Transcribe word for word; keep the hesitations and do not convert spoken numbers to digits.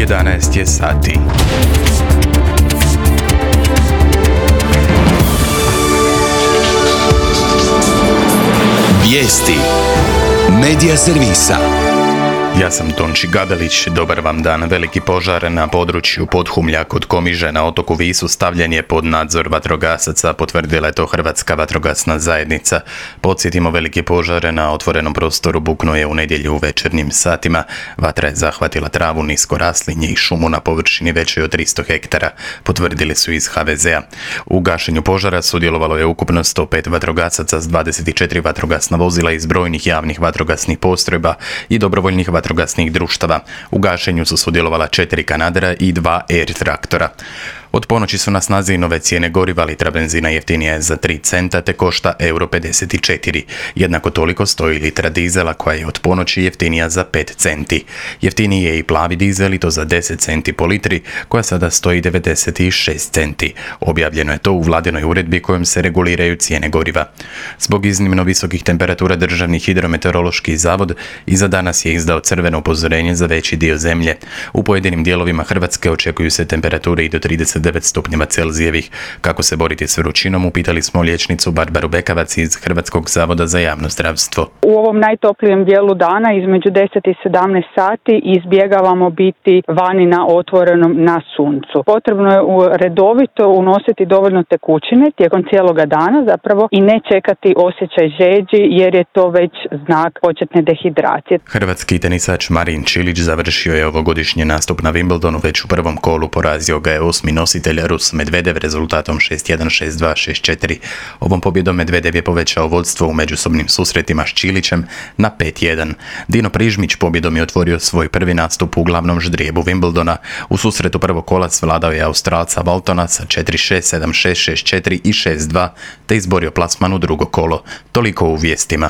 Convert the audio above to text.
jedanaest je sati. Vijesti Medija servisa. Ja sam Tonči Gabelić, dobar vam dan. Veliki požar na području Podhumlja kod Komiže na otoku Visu stavljen je pod nadzor vatrogasaca, potvrdila je to Hrvatska vatrogasna zajednica. Podsjetimo, veliki požar na otvorenom prostoru buknuo je u nedjelju u večernjim satima. Vatra je zahvatila travu, nisko raslinje i šumu na površini većoj od tristo hektara, potvrdili su iz ha ve zea. U gašenju požara sudjelovalo je ukupno sto pet vatrogasaca s dvadeset četiri vatrogasna vozila iz brojnih javnih vatrogasnih postrojba i dobrovoljnih vatrogasnih društava. U gašenju su sudjelovala četiri kanadera i dva air traktora. Od ponoći su na snazi nove cijene goriva, litra benzina jeftinija je za tri centa te košta euro pedeset četiri. Jednako toliko stoji litra dizela koja je od ponoći jeftinija za pet centi. Jeftiniji je i plavi dizel i to za deset centi po litri koja sada stoji devedeset šest centi. Objavljeno je to u vladinoj uredbi kojom se reguliraju cijene goriva. Zbog iznimno visokih temperatura Državni hidrometeorološki zavod i za danas je izdao crveno upozorenje za veći dio zemlje. U pojedinim dijelovima Hrvatske očekuju se temperature i do trideset devet stupnjeva Celzijevih. Kako se boriti s vrućinom, upitali smo liječnicu Barbaru Bekavac iz Hrvatskog zavoda za javno zdravstvo. U ovom najtoplijem dijelu dana između deset i sedamnaest sati izbjegavamo biti vani na otvorenom na suncu. Potrebno je redovito unositi dovoljno tekućine tijekom cijeloga dana zapravo i ne čekati osjećaj žeđi jer je to već znak početne dehidracije. Hrvatski tenisač Marin Čilić završio je ovogodišnji nastup na Wimbledonu, već u prvom kolu porazio ga je osmi nositelj Rus Medvedev rezultatom šest jedan, šest dva, šest četiri. Ovom pobjedom Medvedev je povećao vodstvo u međusobnim susretima s Čilićem na pet jedan. Dino Prižmić pobjedom je otvorio svoj prvi nastup u glavnom ždrijebu Wimbledona. U susretu prvog kola svladao je Australca Waltona sa četiri šest, sedam šest, šest četiri i šest dva te izborio plasman u drugo kolo. Toliko u vijestima.